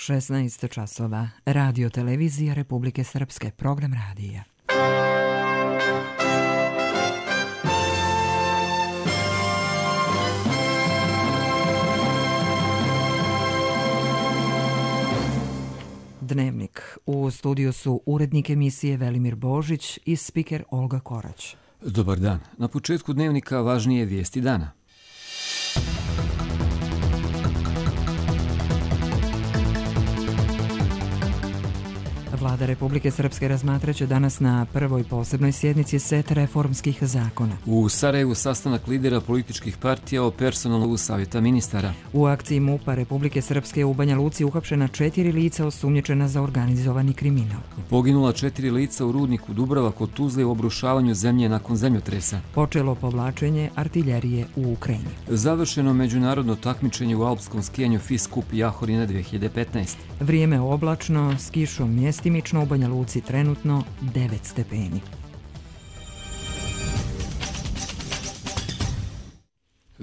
16 časova. Radio televizija Republike Srpske. Program radija. Dnevnik. U studiju su urednik emisije Velimir Božić i spiker Olga Korać. Dobar dan. Na početku dnevnika važnije vijesti dana. Vlada Republike Srpske razmatraće danas na prvoj posebnoj sjednici set reformskih zakona. U Sarajevu sastanak lidera političkih partija o personalu savjeta ministara. U akciji MUP-a Republike Srpske u Banja Luci uhapšena 4 lica osumnjičena za organizovani kriminal. Poginula 4 lica u rudniku Dubrava kod Tuzle u obrušavanju zemlje nakon zemljotresa. Počelo povlačenje artiljerije u Ukrajini. Završeno međunarodno takmičenje u alpskom skijanju FIS Cup Jahorina 2015. Vrijeme oblačno, s kišom mjestimično, u Banja Luci trenutno 9 stepeni.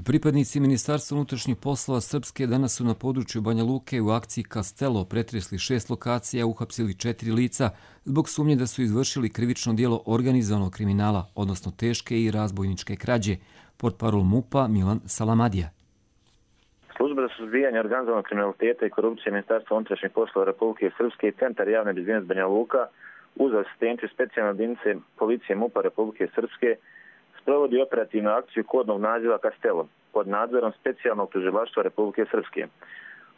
Pripadnici Ministarstva unutrašnjih poslova Srpske danas su na području Banja Luke u akciji Kastelo pretresli 6 lokacija i uhapsili 4 lica zbog sumnje da su izvršili krivično djelo organizovanog kriminala, odnosno teške i razbojničke krađe, portparol MUP-a Milan Salamadija. Služba za suzbijanje organizovanog kriminaliteta i korupcije Ministarstva unutrašnjih poslova Republike Srpske i Centar javne bezbjednosti Banja Luka uz asistenciju specijalne jedinice policije MUP-a Republike Srpske sprovodi operativnu akciju kodnog naziva Kastelo pod nadzorom specijalnog tužilaštva Republike Srpske.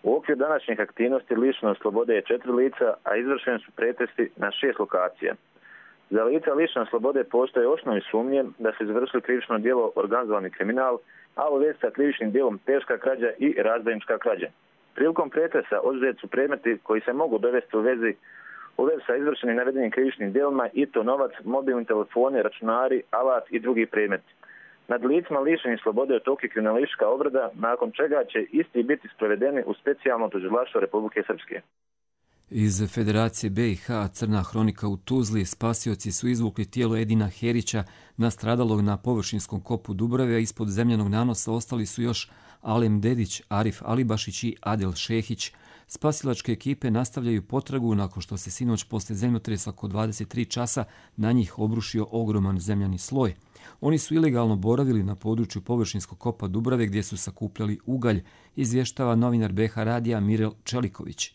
U okviru današnjih aktivnosti lišeno slobode je 4 lica, a izvršeni su pretresi na 6 lokacija. Za lica lišene slobode postoje osnovne sumnje da su izvršili krivično djelo organizovani kriminal, a u vezi sa krivičnim djelom teška krađa i razbojnička krađa. Prilikom pretresa oduzeti su predmeti koji se mogu dovesti u vezi sa izvršenim navedenim krivičnim djelima i to novac, mobilni telefoni, računari, alat i drugi predmeti. Nad licima lišenih slobode je toki kriminalistička obrada, nakon čega će isti biti sprovedeni u specijalno tužilaštvo Republike Srpske. Iz Federacije BiH Crna hronika u Tuzli spasioci su izvukli tijelo Edina Herića, nastradalog na površinskom kopu Dubrave, a ispod zemljanog nanosa ostali su još Alem Dedić, Arif Alibašić i Adel Šehić. Spasilačke ekipe nastavljaju potragu nakon što se sinoć poslije zemljotresa oko 23 časa na njih obrušio ogroman zemljani sloj. Oni su ilegalno boravili na području površinskog kopa Dubrave gdje su sakupljali ugalj, izvještava novinar BiH radija Mirel Čeliković.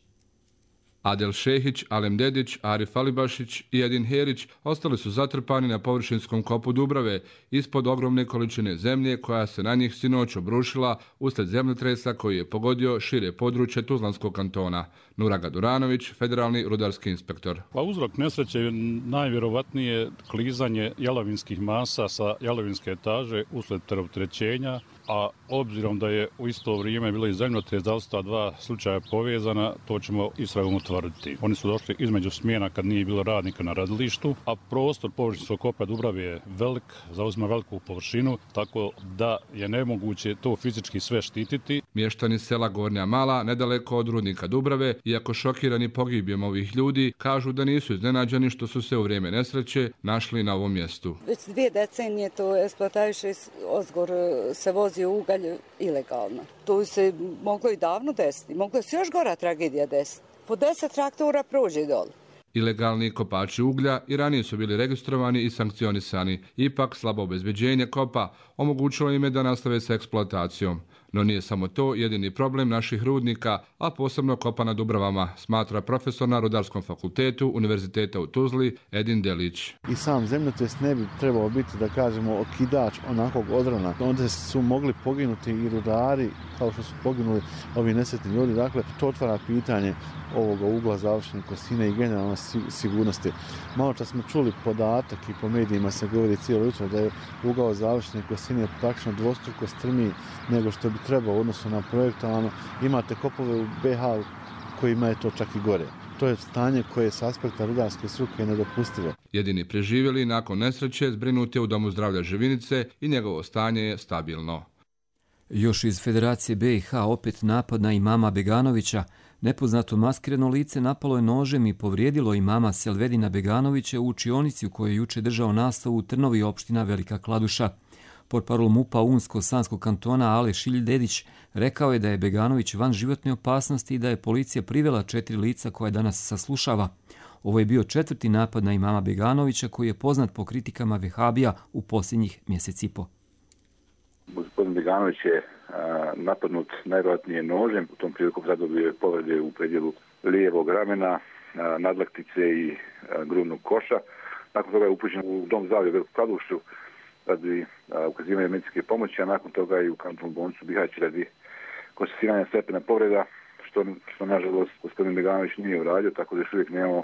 Adel Šehić, Alem Dedić, Arif Alibašić i Edin Herić ostali su zatrpani na površinskom kopu Dubrave ispod ogromne količine zemlje koja se na njih sinoć obrušila uslijed zemljotresa koji je pogodio šire područje Tuzlanskog kantona. Nuraga Duranović, federalni rudarski inspektor. Uzrok nesreće je najvjerovatnije klizanje jalovinskih masa sa jalovinske etaže uslijed preopterećenja, a obzirom da je u isto vrijeme bilo i zemljotres, da li su ta dva slučaja povezana, to ćemo istragom utvrditi. Oni su došli između smjena kad nije bilo radnika na radilištu, a prostor površinskog kopa Dubrave je velik, zauzima veliku površinu, tako da je nemoguće to fizički sve štititi. Mještani sela Gornja Mala, nedaleko od rudnika Dubrave, iako šokirani pogibijom ovih ljudi, kažu da nisu iznenađeni što su se u vrijeme nesreće našli na ovom mjestu. Već 2 decenije to eksploataše, ozgor se vozi ugalj ilegalno. To se moglo i davno desiti, moglo se još gora tragedija desiti. Po 10 traktora prođe dole. Ilegalni kopači uglja i ranije su bili registrovani i sankcionisani. Ipak slabo obezbeđenje kopa omogućilo im je da nastave sa eksploatacijom. No nije samo to jedini problem naših rudnika, a posebno kopa na Dubravama, smatra profesor na Rudarskom fakultetu Univerziteta u Tuzli Edin Delić. I sam zemljotres ne bi trebao biti, da kažemo, okidač onakvog odrana. Onda su mogli poginuti i rudari, kao što su poginuli ovi nesretni ljudi. Dakle, to otvara pitanje ovoga ugla završene kosine i generalne sigurnosti. Malo čas smo čuli podatak i po medijima se govori cijelo jutro da je ugao završene kosine praktično dvostruko strmiji nego što bi trebao u odnosu na projektovano. Imate kopove u BiH kojima je to čak i gore. To je stanje koje s aspekta rudarske struke nedopustivo. Jedini preživjeli nakon nesreće zbrinut je u Domu zdravlja Živinice i njegovo stanje je stabilno. Još iz Federacije BiH opet napad na imama Beganovića. Nepoznato maskirano lice napalo je nožem i povrijedilo imama Selvedina Beganovića u učionici u kojoj je juče držao nastavu u Trnovi, opština Velika Kladuša. Portparol MUP-a Unsko-Sanskog kantona Ale Šilj-Dedić rekao je da je Beganović van životne opasnosti i da je policija privela 4 lica koja danas saslušava. Ovo je bio 4. napad na imama Beganovića koji je poznat po kritikama vehabija u posljednjih mjesec i po. Gospodin Beganović je napadnut najvjerojatnije nožem, u tom priliku zadobio je povrede u predjelu lijevog ramena, nadlaktice i grudnog koša. Nakon toga je upućen u dom zdravlja u Veliku Kladušu radi ukazivanja medicinske pomoći, a nakon toga i u kantonsku bolnicu Bihać radi konstatiranja stepena povreda, što nažalost gospodin Beganović nije uradio, tako da još uvijek nemamo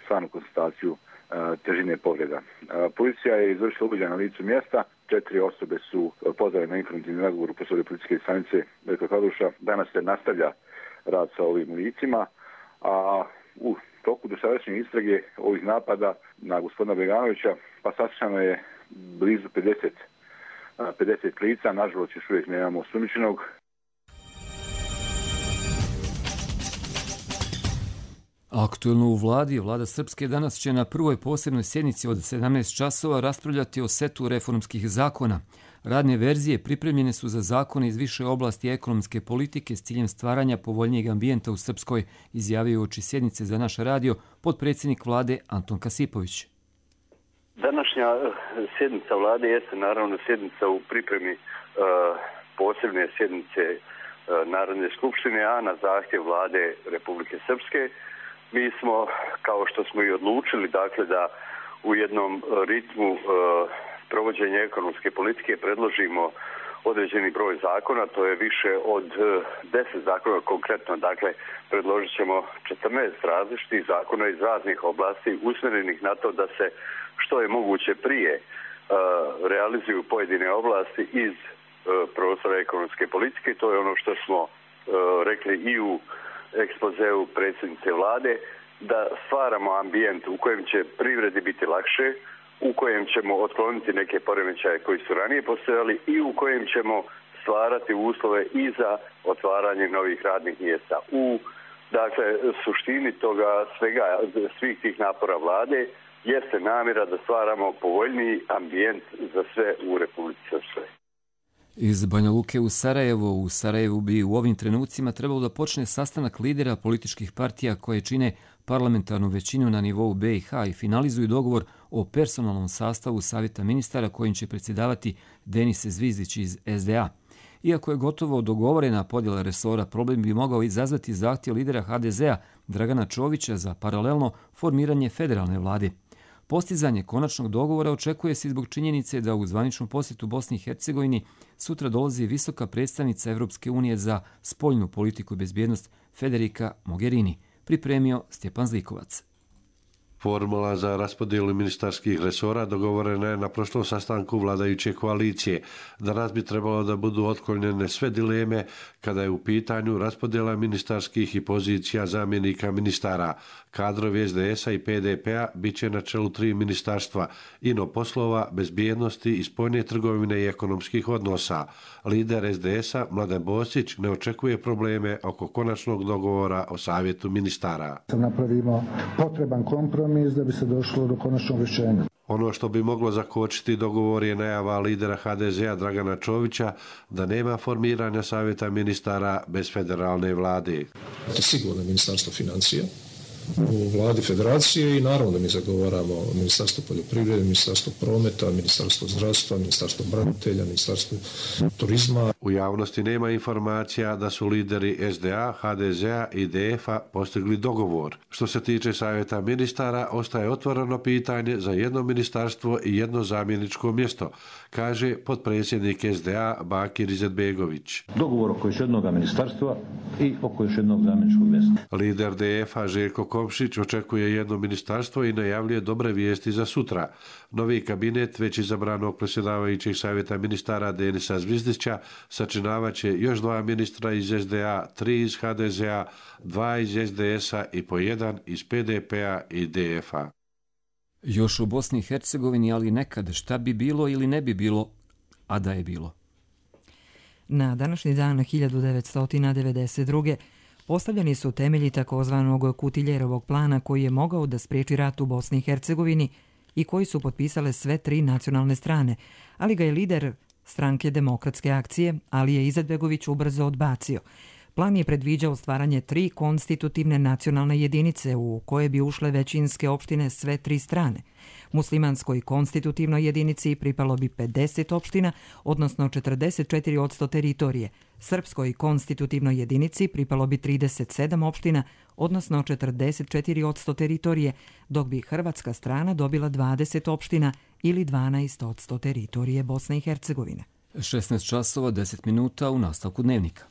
stvarnu konstataciju težine povreda. Policija je izvršila uviđaj na licu mjesta, 4 osobe su pozvane na informativni razgovor u prostoriju policijske stanice Velika Kladuša. Danas se nastavlja rad sa ovim licima, a u toku dosadašnje istrage ovih napada na gospodina Beganovića pa saslušano je blizu 50 lica, nažalost još uvijek nemamo osumnjičenog. Aktuelno u vladi, vlada Srpske danas će na prvoj posebnoj sjednici od 17 časova raspravljati o setu reformskih zakona. Radne verzije pripremljene su za zakone iz više oblasti ekonomske politike s ciljem stvaranja povoljnijeg ambijenta u Srpskoj, izjavio uoči sjednice za naš radio potpredsjednik vlade Anton Kasipović. Današnja sjednica vlade jeste naravno sjednica u pripremi posebne sjednice Narodne skupštine, a na zahtjev vlade Republike Srpske. Mi smo, kao što smo i odlučili, dakle da u jednom ritmu provođenja ekonomske politike predložimo određeni broj zakona, to je više od 10 zakona konkretno, dakle predložit ćemo 14 različitih zakona iz raznih oblasti usmjerenih na to da se što je moguće prije realizuju pojedine oblasti iz prostora ekonomske politike. To je ono što smo rekli i u ekspozeu predsjednice vlade, da stvaramo ambijent u kojem će privredi biti lakše, u kojem ćemo otkloniti neke poremećaje koji su ranije postojali i u kojem ćemo stvarati uslove i za otvaranje novih radnih mjesta. U suštini toga svega, svih tih napora vlade jeste namjera da stvaramo povoljniji ambijent za sve u Republici Srpskoj. Iz Banja Luke u Sarajevu bi u ovim trenucima trebalo da počne sastanak lidera političkih partija koje čine parlamentarnu većinu na nivou BiH i finalizuju dogovor o personalnom sastavu Savjeta ministara kojim će predsjedavati Denis Zvizdić iz SDA. Iako je gotovo dogovorena podjela resora, problem bi mogao izazvati zahtjev lidera HDZ-a Dragana Čovića za paralelno formiranje federalne vlade. Postizanje konačnog dogovora očekuje se zbog činjenice da u zvaničnom posjetu Bosni i Hercegovini sutra dolazi visoka predstavnica Evropske unije za spoljnu politiku i bezbjednost Federica Mogherini, pripremio Stjepan Zlikovac. Formula za raspodjelu ministarskih resora dogovorena je na prošlom sastanku vladajuće koalicije. Danas bi trebalo da budu otklonjene sve dileme kada je u pitanju raspodjela ministarskih i pozicija zamjenika ministara. Kadrovi SDS-a i PDP-a bit će na čelu 3 ministarstva: ino poslova, bezbjednosti i spoljne trgovine i ekonomskih odnosa. Lider SDS-a Mladen Bosić ne očekuje probleme oko konačnog dogovora o savjetu ministara. Napravimo potreban kompromis da bi se došlo do konačnog rješenja. Ono što bi moglo zakočiti dogovor je najava lidera HDZ-a Dragana Čovića da nema formiranja savjeta ministara bez federalne vlade. Sigurno ministarstvo financija u vladi federacije i naravno da mi zagovaramo ministarstvo poljoprivrede, ministarstvo prometa, ministarstvo zdravstva, ministarstvo branitelja, ministarstvo turizma. U javnosti nema informacija da su lideri SDA, HDZ-a i DF-a postigli dogovor. Što se tiče savjeta ministara, ostaje otvoreno pitanje za jedno ministarstvo i jedno zamjeničko mjesto, kaže potpredsjednik SDA Bakir Izetbegović. Dogovor oko još jednog ministarstva i oko još jednog zamjeničkog mjesta. Lider DF-a Željko Komšić očekuje jedno ministarstvo i najavljuje dobre vijesti za sutra. Novi kabinet već izabranog predsjedavajućeg savjeta ministara Denisa Zvizdića sačinavaće još 2 ministra iz SDA, 3 iz HDZ-a, 2 iz SDS-a i po 1 iz PDP-a i DF-a. Još u Bosni i Hercegovini, ali nekad šta bi bilo ili ne bi bilo, a da je bilo. Na današnji dan 1992. postavljeni su temelji takozvanog Kutiljerovog plana koji je mogao da spriječi rat u Bosni i Hercegovini i koji su potpisale sve 3 nacionalne strane, ali ga je lider Stranke Demokratske akcije, ali je Izetbegović ubrzo odbacio. Plan je predviđao stvaranje 3 konstitutivne nacionalne jedinice u koje bi ušle većinske opštine sve 3 strane. Muslimanskoj konstitutivnoj jedinici pripalo bi 50 opština, odnosno 44% teritorije. Srpskoj konstitutivnoj jedinici pripalo bi 37 opština, odnosno 44% teritorije, dok bi hrvatska strana dobila 20 opština ili 12% teritorije Bosne i Hercegovine. 16 časova 10 minuta u nastavku dnevnika.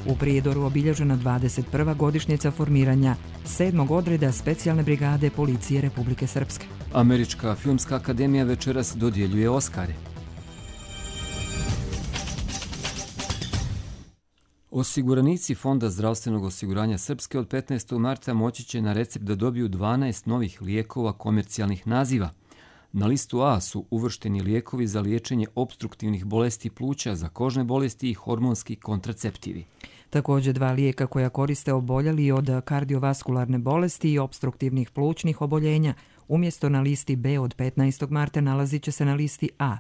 U Prijedoru obilježena 21. godišnjica formiranja 7. odreda specijalne brigade policije Republike Srpske. Američka filmska akademija večeras dodjeljuje Oskare. Osiguranici Fonda zdravstvenog osiguranja Srpske od 15. marta moći će na recept da dobiju 12 novih lijekova komercijalnih naziva. Na listu A su uvršteni lijekovi za liječenje opstruktivnih bolesti pluća, za kožne bolesti i hormonski kontraceptivi. Također 2 lijeka koja koriste oboljeli od kardiovaskularne bolesti i opstruktivnih plućnih oboljenja. Umjesto na listi B od 15. marta nalazit će se na listi A.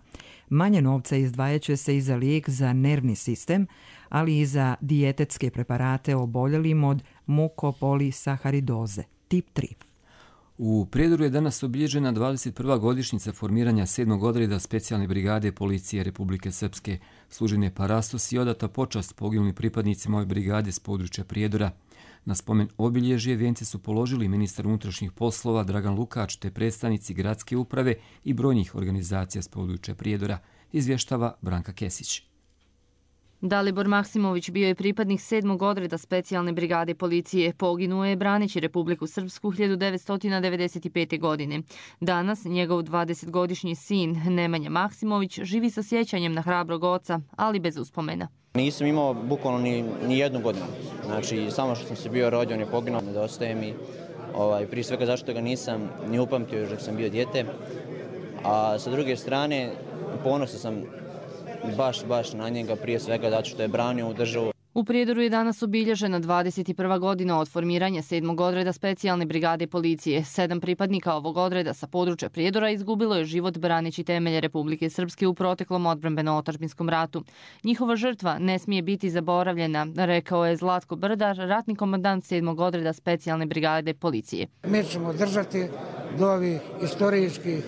Manje novca izdvajat će se i za lijek za nervni sistem, ali i za dijetetske preparate oboljelim od mukopolisaharidoze, tip 3. U Prijedoru je danas obilježena 21. godišnjica formiranja 7. odreda specijalne brigade policije Republike Srpske. Služen je parastos i odata počast poginulim pripadnicima ove brigade s područja Prijedora. Na spomen obilježje vijence su položili ministar unutrašnjih poslova Dragan Lukač te predstavnici gradske uprave i brojnih organizacija s područja Prijedora, izvještava Branka Kesić. Dalibor Maksimović bio je pripadnik 7. odreda specijalne brigade policije. Poginuo je braneći Republiku Srpsku 1995. godine. Danas njegov 20-godišnji sin Nemanja Maksimović živi sa sjećanjem na hrabrog oca, ali bez uspomena. Nisam imao bukvalno ni jednu godinu. Znači, samo što sam se bio rođen i poginuo, nedostaje mi. Prije svega zašto ga nisam ni upamtio još dok sam bio dijete. A sa druge strane, ponosan sam baš na njega, prije svega zato što je branio u državu. U Prijedoru je danas obilježena 21. godina od formiranja 7. odreda specijalne brigade policije. 7 pripadnika ovog odreda sa područja Prijedora izgubilo je život braneći temelje Republike Srpske u proteklom odbrambeno-otadžbinskom ratu. Njihova žrtva ne smije biti zaboravljena, rekao je Zlatko Brdar, ratni komandant 7. odreda specijalne brigade policije. Mi ćemo držati do ovih istorijskih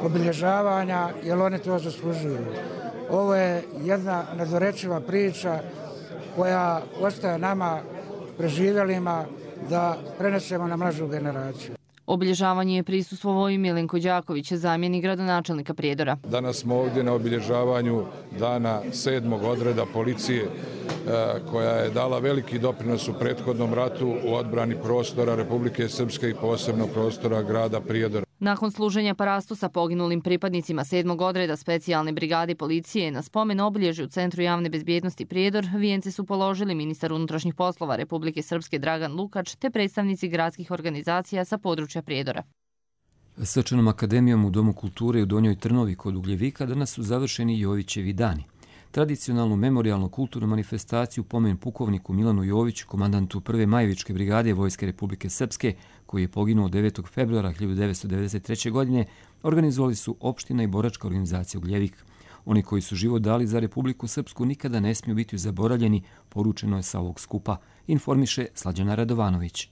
obilježavanja jer oni to zaslužuju. Ovo je jedna nedorečiva priča koja ostaje nama preživjelima da prenesemo na mlađu generaciju. Obilježavanje je prisustvovao i Milenko Đaković, zamjenik gradonačelnika Prijedora. Danas smo ovdje na obilježavanju dana 7. odreda policije koja je dala veliki doprinos u prethodnom ratu u odbrani prostora Republike Srpske i posebno prostora grada Prijedora. Nakon služenja parastosa poginulim pripadnicima 7. odreda specijalne brigade policije na spomen obilježju u Centru javne bezbjednosti Prijedor, vijence su položili ministar unutrašnjih poslova Republike Srpske Dragan Lukač te predstavnici gradskih organizacija sa područja Prijedora. Srčanom akademijom u Domu kulture u Donjoj Trnovi kod Ugljevika danas su završeni Jovićevi dani. Tradicionalnu memorialno-kulturnu manifestaciju pomen pukovniku Milanu Joviću, komandantu 1. Majevičke brigade Vojske Republike Srpske, koji je poginuo 9. februara 1993. godine, organizovali su opština i boračka organizacija Ugljevik. Oni koji su život dali za Republiku Srpsku nikada ne smiju biti zaboravljeni, poručeno je sa ovog skupa, informiše Slađana Radovanović.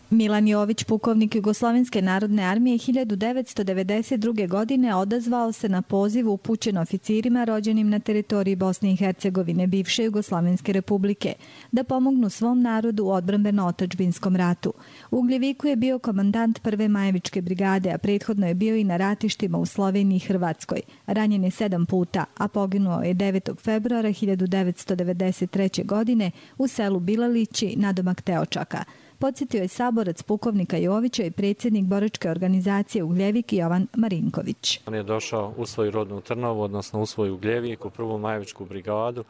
Milan Jović, pukovnik Jugoslovenske narodne armije, 1992. godine odazvao se na poziv upućen oficirima rođenim na teritoriji Bosne i Hercegovine, bivše Jugoslovenske republike, da pomognu svom narodu u odbrambeno-otadžbinskom ratu. U Ugljeviku je bio komandant 1. Majevičke brigade, a prethodno je bio i na ratištima u Sloveniji i Hrvatskoj. Ranjen je 7 puta, a poginuo je 9. februara 1993. godine u selu Bilalići nadomak Teočaka. Podsjetio je saborac pukovnika Jovića i predsjednik boračke organizacije Ugljevik Jovan Marinković. On je došao u svoju rodnu Trnovu, odnosno u svoju Ugljevik, u 1. Majevičku brigadu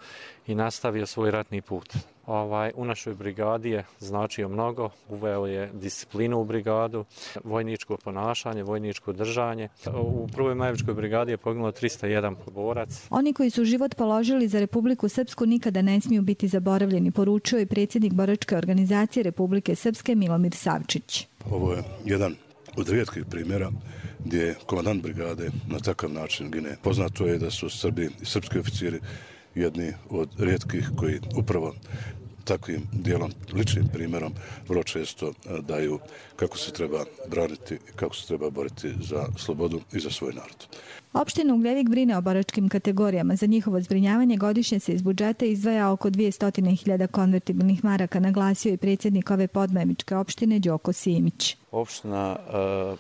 i nastavio svoj ratni put. u našoj brigadi je značio mnogo, uveo je disciplinu u brigadu, vojničko ponašanje, vojničko držanje. U Prvoj Majevičkoj brigadi je poginulo 301 borac. Oni koji su život položili za Republiku Srpsku nikada ne smiju biti zaboravljeni, poručio je predsjednik boračke organizacije Republike Srpske Milomir Savčić. Ovo je jedan od rijetkih primjera gdje je komandant brigade na takav način gine. Poznato je da su Srbi i srpski oficiri jedni od rijetkih koji upravo takvim dijelom, ličnim primjerom, vrlo često daju kako se treba braniti i kako se treba boriti za slobodu i za svoj narod. Opština Ugljevik brine o boračkim kategorijama. Za njihovo zbrinjavanje godišnje se iz budžeta izdvaja oko 200.000 konvertibilnih maraka, naglasio i predsjednik ove podmajevičke opštine Đoko Simić. Opština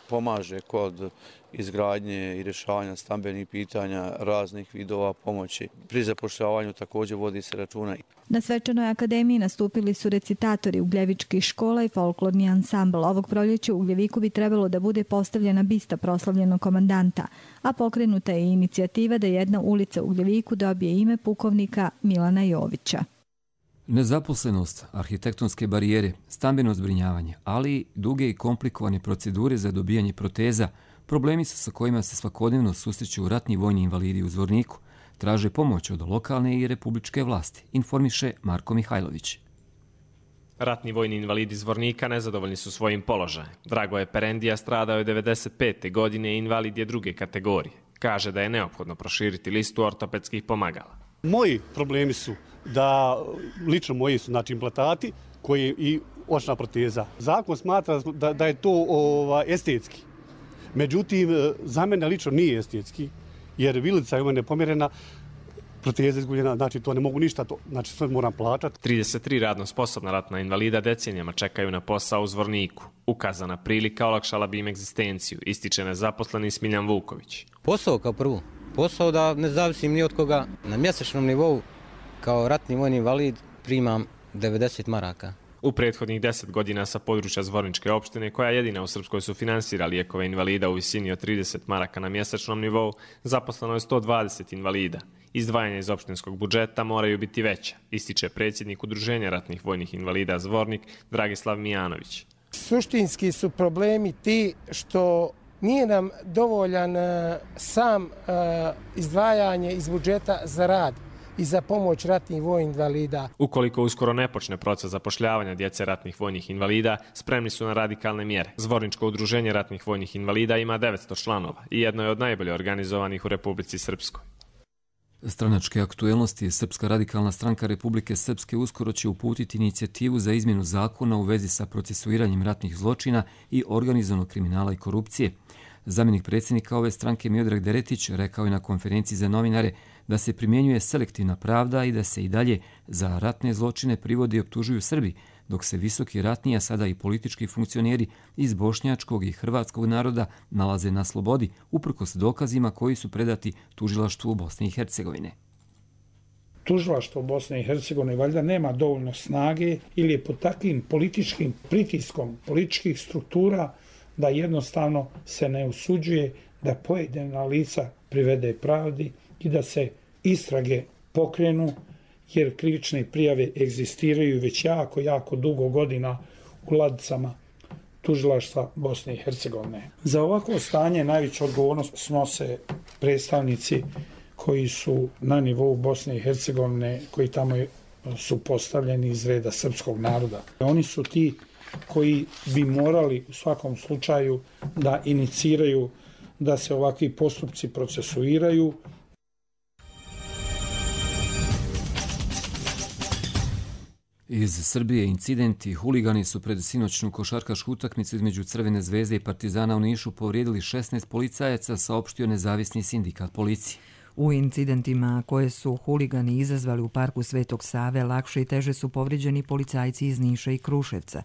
pomaže kod izgradnje i rješavanja stambenih pitanja, raznih vidova pomoći. Pri zapošljavanju također vodi se računa. Na svečanoj akademiji nastupili su recitatori ugljevičkih škola i folklorni ansambl. Ovog proljeća u Ugljeviku bi trebalo da bude postavljena bista proslavljenog komandanta, a pokrenuta je inicijativa da jedna ulica u Ugljeviku dobije ime pukovnika Milana Jovića. Nezaposlenost, arhitektonske barijere, stambeno zbrinjavanje, ali i duge i komplikovane procedure za dobijanje proteza, problemi su sa kojima se svakodnevno susreću ratni vojni invalidi u Zvorniku. Traže pomoć od lokalne i republičke vlasti, informiše Marko Mihajlović. Ratni vojni invalidi Zvornika nezadovoljni su svojim položajem. Dragoje Perendija stradao je 1995. godine i invalid je druge kategorije. Kaže da je neophodno proširiti listu ortopedskih pomagala. Moji problemi su da, lično moji su, znači implantati koji i očna proteza. Zakon smatra da je to estetski. Međutim, za mene lično nije estetski, jer vilica je u mene pomjerena, proteza izgubljena, znači to ne mogu ništa, znači sve moram plaćati. 33 radno sposobna ratna invalida decenijama čekaju na posao u Zvorniku. Ukazana prilika olakšala bi im egzistenciju, ističe nezaposleni Smiljan Vuković. Posao kao prvo, posao da ne zavisim ni od koga. Na mjesečnom nivou kao ratni vojni invalid primam 90 maraka. U prethodnih 10 godina sa područja Zvorničke opštine, koja jedina u Srpskoj sufinansira lijekove invalida u visini od 30 maraka na mjesečnom nivou, zaposleno je 120 invalida. Izdvajanja iz opštinskog budžeta moraju biti veća, ističe predsjednik Udruženja ratnih vojnih invalida Zvornik Dragislav Mijanović. Suštinski su problemi ti što nije nam dovoljan sam izdvajanje iz budžeta za rad i za pomoć ratnih vojnih invalida. Ukoliko uskoro ne počne proces zapošljavanja djece ratnih vojnih invalida, spremni su na radikalne mjere. Zvorničko udruženje ratnih vojnih invalida ima 900 članova i jedno je od najbolje organizovanih u Republici Srpskoj. Stranačke aktuelnosti Srpska radikalna stranka Republike Srpske uskoro će uputiti inicijativu za izmjenu zakona u vezi sa procesuiranjem ratnih zločina i organizovanog kriminala i korupcije. Zamjenik predsjednika ove stranke Miodrag Deretić rekao je na konferenciji za novinare da se primjenjuje selektivna pravda i da se i dalje za ratne zločine privode i optužuju Srbi, dok se visoki ratni, a sada i politički funkcioneri iz bošnjačkog i hrvatskog naroda nalaze na slobodi, uprkos dokazima koji su predati tužilaštvu u Bosni i Hercegovine. Tužilaštvo Bosne i Hercegovine valjda nema dovoljno snage ili je pod takvim političkim pritiskom političkih struktura da jednostavno se ne usuđuje da pojedina lica privede pravdi i da se istrage pokrenu, jer krivične prijave egzistiraju već jako dugo godina u ladicama tužilaštva Bosne i Hercegovine. Za ovako stanje najveću odgovornost snose predstavnici koji su na nivou Bosne i Hercegovine, koji tamo su postavljeni iz reda srpskog naroda. Oni su ti koji bi morali u svakom slučaju da iniciraju da se ovakvi postupci procesuiraju. Iz Srbije incidenti, huligani su pred sinoćnu košarkašku utakmicu između Crvene zvezde i Partizana u Nišu povrijedili 16 policajaca, saopštio nezavisni sindikat policije. U incidentima koje su huligani izazvali u parku Svetog Save lakše i teže su povrijeđeni policajci iz Niša i Kruševca.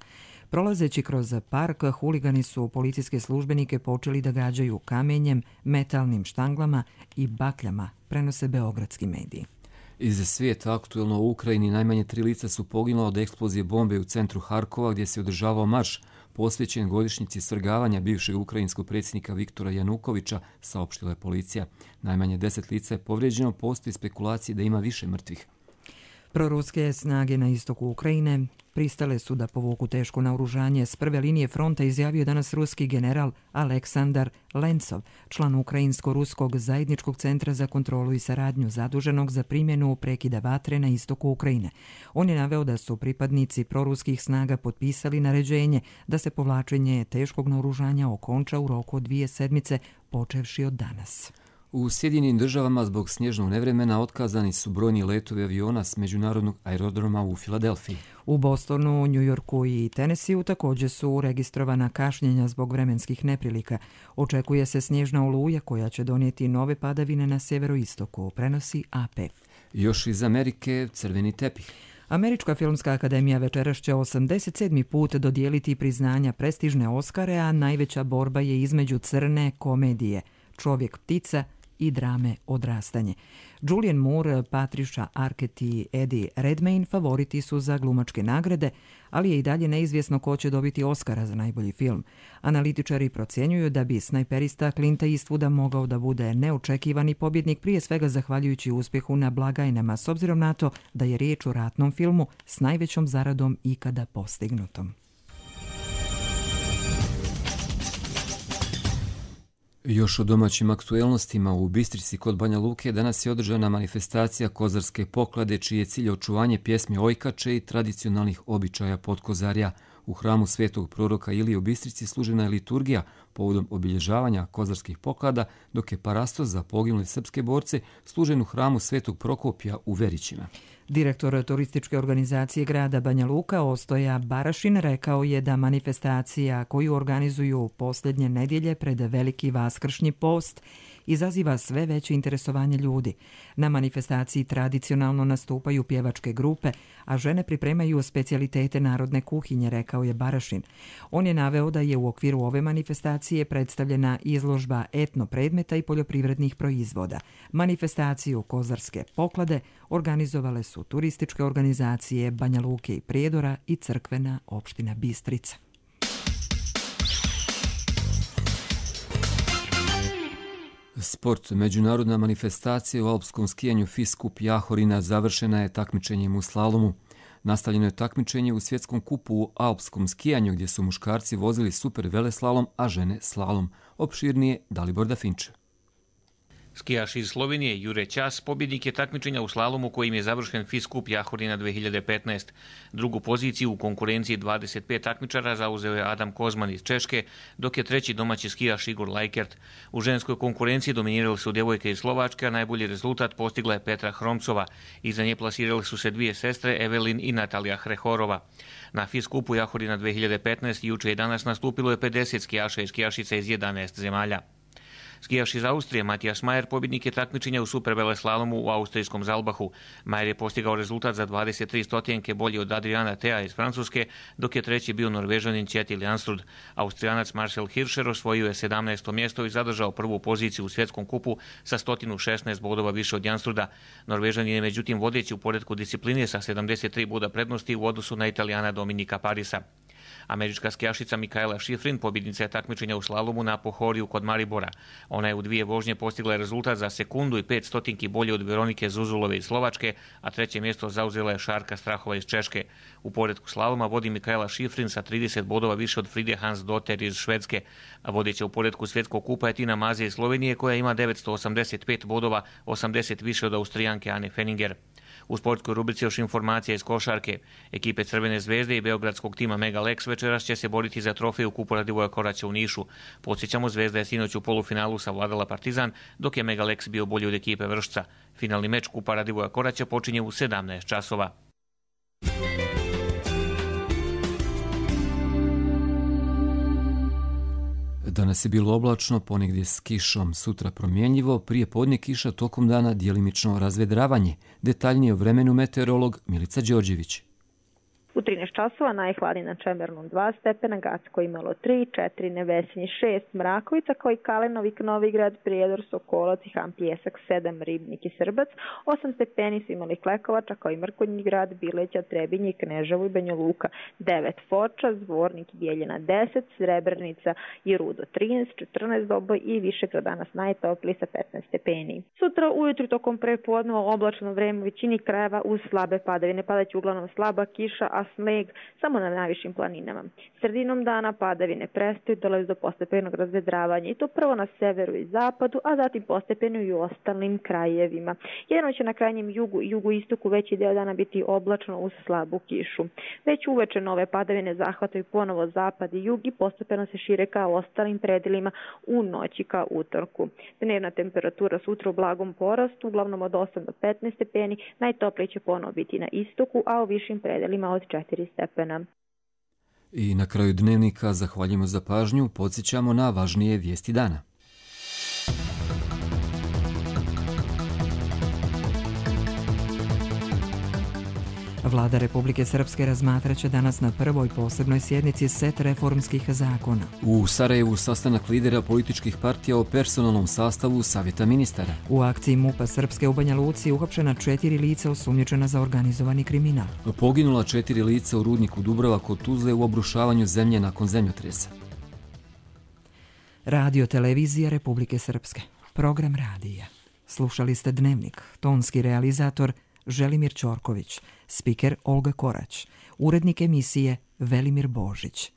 Prolazeći kroz park, huligani su policijske službenike počeli da gađaju kamenjem, metalnim štanglama i bakljama, prenose beogradski mediji. Iz svijeta aktuelno u Ukrajini najmanje 3 lica su poginula od eksplozije bombe u centru Harkova gdje se održavao marš posvećen godišnjici svrgavanja bivšeg ukrajinskog predsjednika Viktora Janukovića, saopštila je policija. Najmanje 10 lica je povrijeđeno, postoji spekulacije da ima više mrtvih. Proruske snage na istoku Ukrajine pristale su da povuku teško naoružanje s prve linije fronta, izjavio danas ruski general Aleksandar Lencov, član Ukrajinsko-ruskog zajedničkog centra za kontrolu i saradnju zaduženog za primjenu prekida vatre na istoku Ukrajine. On je naveo da su pripadnici proruskih snaga potpisali naređenje da se povlačenje teškog naoružanja okonča u roku od 2 sedmice, počevši od danas. U Sjedinjenim državama zbog snježnog nevremena otkazani su brojni letovi aviona s međunarodnog aerodroma u Filadelfiji. U Bostonu, Njujorku i Tennesseeu također su registrovana kašnjenja zbog vremenskih neprilika. Očekuje se snježna oluja koja će donijeti nove padavine na severoistoku, prenosi AP. Još iz Amerike crveni tepih. Američka filmska akademija večeras će 87. put dodijeliti priznanja prestižne Oskare, a najveća borba je između crne komedije Čovjek ptica i drame Odrastanje. Julianne Moore, Patricia Arquette i Eddie Redmayne favoriti su za glumačke nagrade, ali je i dalje neizvjesno ko će dobiti Oskara za najbolji film. Analitičari procjenjuju da bi snajperista Clint Eastwooda mogao da bude neočekivani pobjednik, prije svega zahvaljujući uspjehu na blagajnama, s obzirom na to da je riječ o ratnom filmu s najvećom zaradom ikada postignutom. Još o domaćim aktuelnostima, u Bistrici kod Banja Luke danas je održana manifestacija Kozarske poklade, čiji je cilj očuvanje pjesmi Ojkače i tradicionalnih običaja Potkozarja. U hramu Svetog proroka Ilije u Bistrici služena je liturgija povodom obilježavanja kozarskih poklada, dok je parastos za poginule srpske borce služen u hramu Svetog Prokopija u Verićima. Direktor turističke organizacije grada Banja Luka Ostoja Barašin rekao je da manifestacija koju organizuju posljednje nedjelje pred veliki vaskršnji post izaziva sve veće interesovanje ljudi. Na manifestaciji tradicionalno nastupaju pjevačke grupe, a žene pripremaju specijalitete narodne kuhinje, rekao je Barašin. On je naveo da je u okviru ove manifestacije predstavljena izložba etno predmeta i poljoprivrednih proizvoda. Manifestaciju Kozarske poklade organizovale su turističke organizacije Banja Luke i Prijedora i crkvena opština Bistrica. Sport. Međunarodna manifestacija u alpskom skijanju FIS Kup Jahorina završena je takmičenjem u slalomu. Nastavljeno je takmičenje u svjetskom kupu u alpskom skijanju, gdje su muškarci vozili super veleslalom, a žene slalom. Opširnije Dalibor Dafinče. Skijaš iz Slovenije Jure Ćas pobjednik je takmičenja u slalomu kojim je završen FIS Kup Jahorina 2015. Drugu poziciju u konkurenciji 25 takmičara zauzeo je Adam Kozman iz Češke, dok je treći domaći skijaš Igor Lajkert. U ženskoj konkurenciji dominirali su djevojke iz Slovačke, a najbolji rezultat postigla je Petra Hromcova. Iza nje plasirali su se dvije sestre Evelin i Natalija Hrehorova. Na FIS Kupu Jahorina 2015 juče i danas nastupilo je 50 skijaša i skijašica iz 11 zemalja. Skijaš iz Austrije Matijas Majer pobjednik je takmičenja u superveleslalomu u austrijskom Zalbahu. Majer je postigao rezultat za 23 stotinke bolji od Adriana Tea iz Francuske, dok je treći bio Norvežanin Kjetil Jansrud. Austrijanac Marcel Hirscher osvojio je 17. mjesto i zadržao prvu poziciju u svjetskom kupu sa 116 bodova više od Jansruda. Norvežanin je međutim vodeći u poretku discipline sa 73 boda prednosti u odnosu na Italijana Dominika Parisa. Američka skijašica Mikaela Šifrin pobjednica je takmičenja u slalomu na Pohoriju kod Maribora. Ona je u dvije vožnje postigla rezultat za sekundu i 5 stotinki bolje od Veronike Zuzulove iz Slovačke, a treće mjesto zauzela je Šarka Strahova iz Češke. U poretku slaloma vodi Mikaela Šifrin sa 30 bodova više od Fride Hansdotter iz Švedske, a vodeća u poretku svjetskog kupa je Tina Maze iz Slovenije koja ima 985 bodova, 80 više od Austrijanke Ane Fenninger. U sportskoj rubrici još informacija iz košarke. Ekipe Crvene zvezde i beogradskog tima Mega Lex večeras će se boriti za trofej u kupu Radivoja Koraća u Nišu. Podsjećamo, Zvezda je sinoć u polufinalu savladala Partizan, dok je Mega Lex bio bolji od ekipe Vršca. Finalni meč kupa Radivoja Koraća počinje u 17 časova. Danas je bilo oblačno, ponegdje s kišom, sutra promjenjivo, prije podne kiša, tokom dana djelimično razvedravanje. Detaljnije o vremenu meteorolog Milica Đorđević. U 13 časova najhladnije na Čemernom 2 stepena, Gacko imalo 3, 4, Nevesinje 6, Mrakovica kao i Kalenovik, Novigrad, Prijedor, Sokolac i Han Pijesak 7, Ribnik i Srbac, 8 stepeni su imali Klekovača kao i Mrkonji grad, Bileća, Trebinje, Kneževo i Banja Luka 9, Foča, Zvornik i Bijeljina 10, Srebrenica i Rudo 13, 14 Doboj i Višegrad danas najtopliji sa 15 stepeni. Sutra ujutru tokom prepodneva oblačno vreme u većini krajeva uz slabe padavine. Padaće uglavnom slaba kiša, a sneg samo na najvišim planinama. Sredinom dana padavine prestaju, dolazi do postepenog razvedravanja i to prvo na severu i zapadu, a zatim postepeno i u ostalim krajevima. Jedino će na krajnjem jugu i jugoistoku veći deo dana biti oblačno uz slabu kišu. Već uveče nove padavine zahvataju ponovo zapad i jug i postepeno se šire ka ostalim predelima u noći ka utorku. Dnevna temperatura sutra u blagom porastu, uglavnom od 8 do 15 stepeni, najtoplije će ponovo biti na istoku, a u višim predelima od 4 stepena. I na kraju dnevnika zahvaljujemo za pažnju, podsjećamo na važnije vijesti dana. Vlada Republike Srpske razmatraće danas na prvoj posebnoj sjednici set reformskih zakona. U Sarajevu sastanak lidera političkih partija o personalnom sastavu Savjeta ministara. U akciji MUP-a Srpske u Banja Luci uhapšena 4 lica osumnjičena za organizovani kriminal. Poginula 4 lica u rudniku Dubrava kod Tuzle u obrušavanju zemlje nakon zemljotresa. Radio Televizija Republike Srpske. Program radija. Slušali ste Dnevnik. Tonski realizator Želimir Ćorković. Spiker Olga Korać. Urednik emisije Velimir Božić.